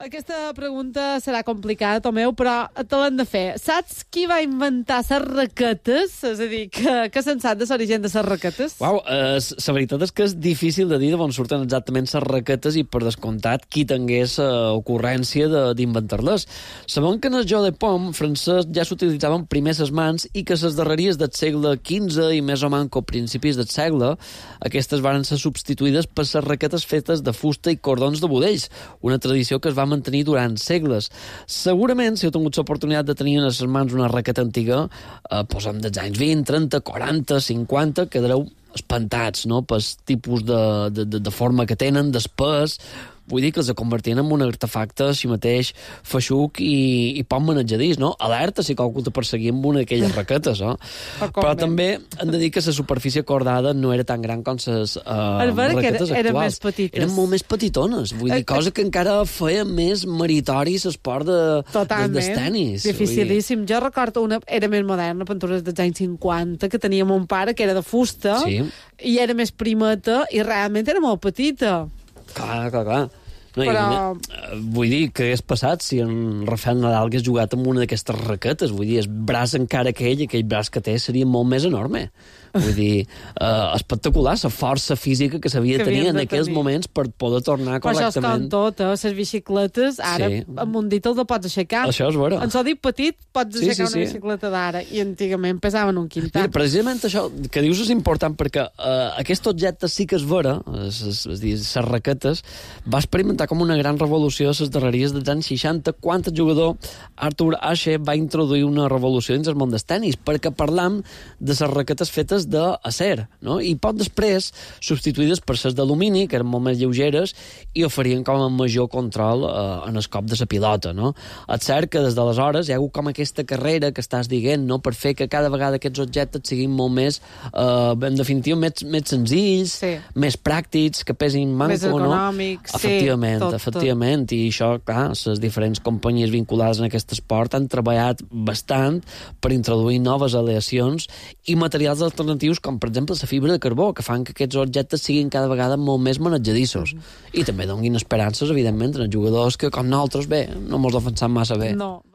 Aquesta pregunta serà complicada, Tomeu, però te l'hem de fer. Saps qui va inventar les raquetes? És a dir, que se'n sap de l'origen de les raquetes? Uau, la veritat és que és difícil de dir d'on surten exactament les raquetes i, per descomptat, qui tingués ocurrència d'inventar-les. Sabem que en el joc de pom francès ja s'utilitzaven primer les mans i que les darreries del segle XV i més o manco principis del segle aquestes van ser substituïdes per les raquetes fetes de fusta i cordons de budells, una tradició que es va mantenir durant segles. Segurament, si heu tingut l'oportunitat de tenir en les mans una raqueta antiga, posem dels anys 20, 30, 40, 50, quedareu espantats, no?, pel tipus de forma que tenen, d'espès. Vull dir que els convertien en un artefacte així mateix feixuc i poc manejadís, no? Alerta si qualcú te perseguia amb una d'aquelles raquetes, no? Però també hem de dir que la superfície cordada no era tan gran com les raquetes actuals. Eren més petites. Eren molt més petitones. Vull dir, cosa que encara feia més meritori l'esport dels tenis. Dificilíssim. Jo recordo una... Era més moderna, pintures dels anys 50, que tenia mon pare, que era de fusta, i era més primeta, i realment era molt petita. Clar. No, però... vull dir, que hagués passat si en Rafael Nadal hagués jugat amb una d'aquestes raquetes. Vull dir, el braç encara que aquell braç que té seria molt més enorme. Vull dir, espectacular, la força física que s'havia de tenir en aquells moments per poder tornar correctament. Però això és com tot, les bicicletes, ara amb un dit el pots aixecar. Això és vera. En el dit petit pots aixecar una bicicleta d'ara, i antigament pesaven un quintal. Mira, precisament això que dius és important, perquè aquest objecte sí que és vera, les raquetes, va experimentar com una gran revolució a les darreries dels anys 60, quan el jugador Arthur Ashe va introduir una revolució dins el món del tenis, perquè parlam de les raquetes fetes d'acer, no? I poc després substituïdes per les d'alumini, que eren molt més lleugeres i oferien com a major control en el cop de la pilota, no? És cert que des d'aleshores hi ha hagut com aquesta carrera que estàs dient, no?, per fer que cada vegada aquests objectes siguin molt més, en definitiva, més senzills, més pràctics, que pesin manco, més econòmics, no? Efectivament, i això, clar, les diferents companyies vinculades en aquest esport han treballat bastant per introduir noves aleacions i materials alternatius, com per exemple la fibra de carbó, que fan que aquests objectes siguin cada vegada molt més manejadissos. I també donin esperances, evidentment, en els jugadors que, com nosaltres, bé, no mos defensam massa bé. No.